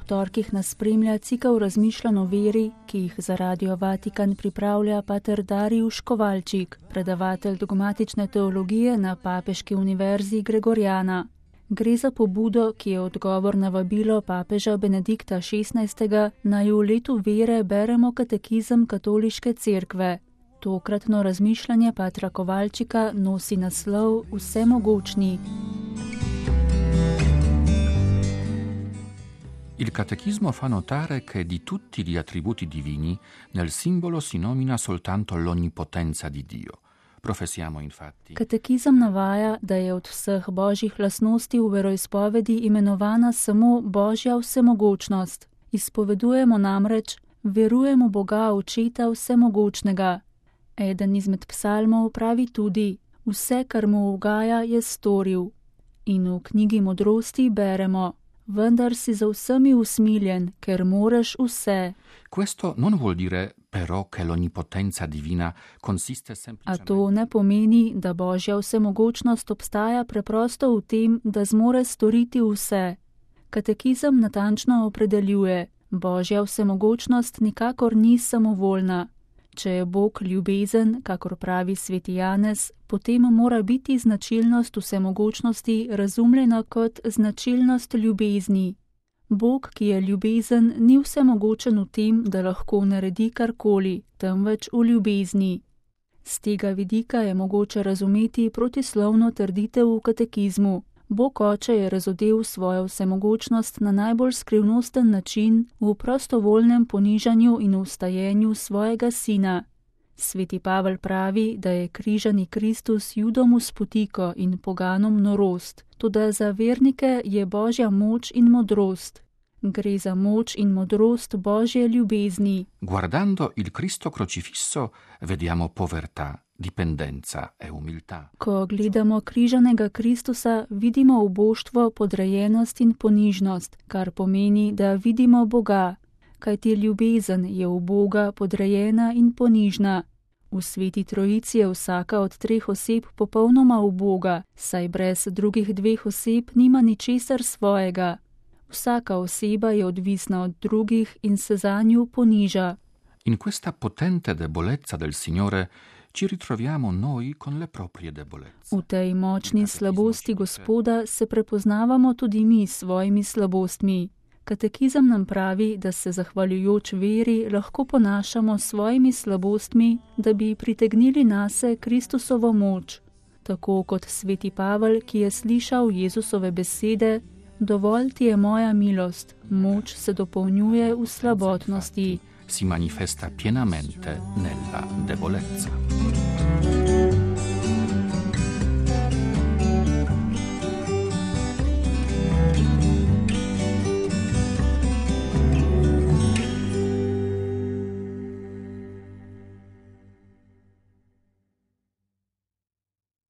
torkih nas spremlja cikel razmišljanj o veri, ki jih za Radio Vatikan pripravlja pater Darijuš Kovalčik, predavatelj dogmatične teologije na Papeški univerzi Gregorjana. Gre za pobudo, ki je odgovor na vabilo papeža Benedikta XVI, naj v letu vere beremo katekizem Katoliške cerkve. Tokratno razmišljanje patra Kovalčika nosi naslov Vsemogočni. Il catechismo fa notare che di tutti gli attributi divini nel simbolo si nomina soltanto l'onnipotenza di Dio. Professiamo infatti. Katekizem navaja, da je od vseh božjih lastnosti v veroizpovedi imenovana samo Božja vsemogočnost. Izpovedujemo namreč, verujemo Boga Očeta vsemogočnega. Eden izmed psalmov pravi tudi, vse, kar mu ugaja, je storil. In v knjigi modrosti beremo, vendar si za vsemi usmiljen, ker moreš vse. Questo non vuol dire però che l'onnipotenza divina consiste semplicemente. A to ne pomeni, da Božja vsemogočnost obstaja preprosto v tem, da zmore storiti vse. Katekizem natančno opredeljuje, Božja vsemogočnost nikakor ni samovoljna. Če je Bog ljubezen, kakor pravi sveti Janez, potem mora biti značilnost vsemogočnosti razumljena kot značilnost ljubezni. Bog, ki je ljubezen, ni vsemogočen v tem, da lahko naredi karkoli, temveč v ljubezni. Z tega vidika je mogoče razumeti protislovno trditev v katekizmu. Bog Oče je razodel svojo vsemogočnost na najbolj skrivnosten način v prostovoljnem ponižanju in vstajenju svojega sina. Sveti Pavel pravi, da je križani Kristus Judom v spotiko in poganom norost, toda za vernike je Božja moč in modrost. Gre za moč in modrost Božje ljubezni. Guardando il Cristo crocifisso vediamo povertà, dipendenza e umiltà. Ko gledamo križanega Kristusa, vidimo uboštvo, podrejenost in ponižnost, kar pomeni, da vidimo Boga, kajti ljubezen je v Boga podrejena in ponižna. V Sveti Trojici je vsaka od treh oseb popolnoma uboga, saj brez drugih dveh oseb nima ničesar svojega. Vsaka oseba je odvisna od drugih in se zanju poniža. In questa potente debolezza del Signore ci ritroviamo noi con le proprie debolezze. V tej močni slabosti Gospoda se prepoznavamo tudi mi s svojimi slabostmi. Katekizem nam pravi, da se zahvaljujoč veri lahko ponašamo s svojimi slabostmi, da bi pritegnili nase Kristusovo moč. Tako kot sveti Pavel, ki je slišal Jezusove besede, dovolj ti je moja milost, moč se dopolnjuje v slabotnosti. Si manifesta pienamente nella debolezza.